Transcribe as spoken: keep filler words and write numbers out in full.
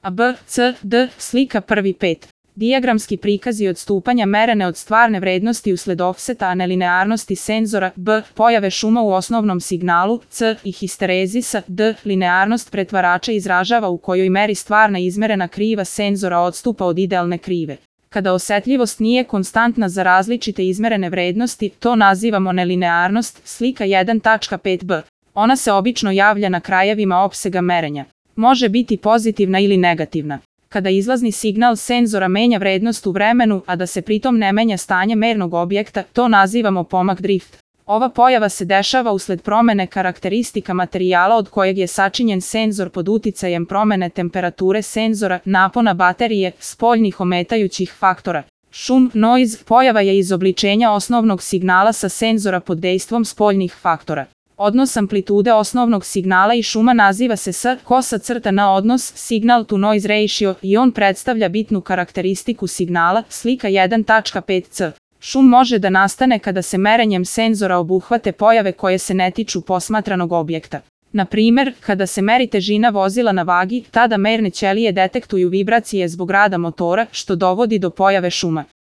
A B, C, D, slika prvi pet. Dijagramski prikazi odstupanja merene od stvarne vrednosti usled ofseta a nelinearnosti senzora, B, pojave šuma u osnovnom signalu, C, i histerezisa, D, linearnost pretvarača izražava u kojoj meri stvarna izmerena kriva senzora odstupa od idealne krive. Kada osetljivost nije konstantna za različite izmerene vrednosti, to nazivamo nelinearnost, slika jedan tačka pet b. Ona se obično javlja na krajevima opsega merenja. Može biti pozitivna ili negativna. Kada izlazni signal senzora menja vrednost u vremenu, a da se pritom ne menja stanje mernog objekta, to nazivamo pomak drift. Ova pojava se dešava usled promene karakteristika materijala od kojeg je sačinjen senzor pod uticajem promene temperature senzora, napona baterije, spoljnih ometajućih faktora. Šum, noise, pojava je izobličenja osnovnog signala sa senzora pod dejstvom spoljnih faktora. Odnos amplitude osnovnog signala i šuma naziva se S, kosa crta na odnos signal to noise ratio i on predstavlja bitnu karakteristiku signala, slika jedan tačka pet c. Šum može da nastane kada se merenjem senzora obuhvate pojave koje se ne tiču posmatranog objekta. Na primer, kada se meri težina vozila na vagi, tada merne ćelije detektuju vibracije zbog rada motora, što dovodi do pojave šuma.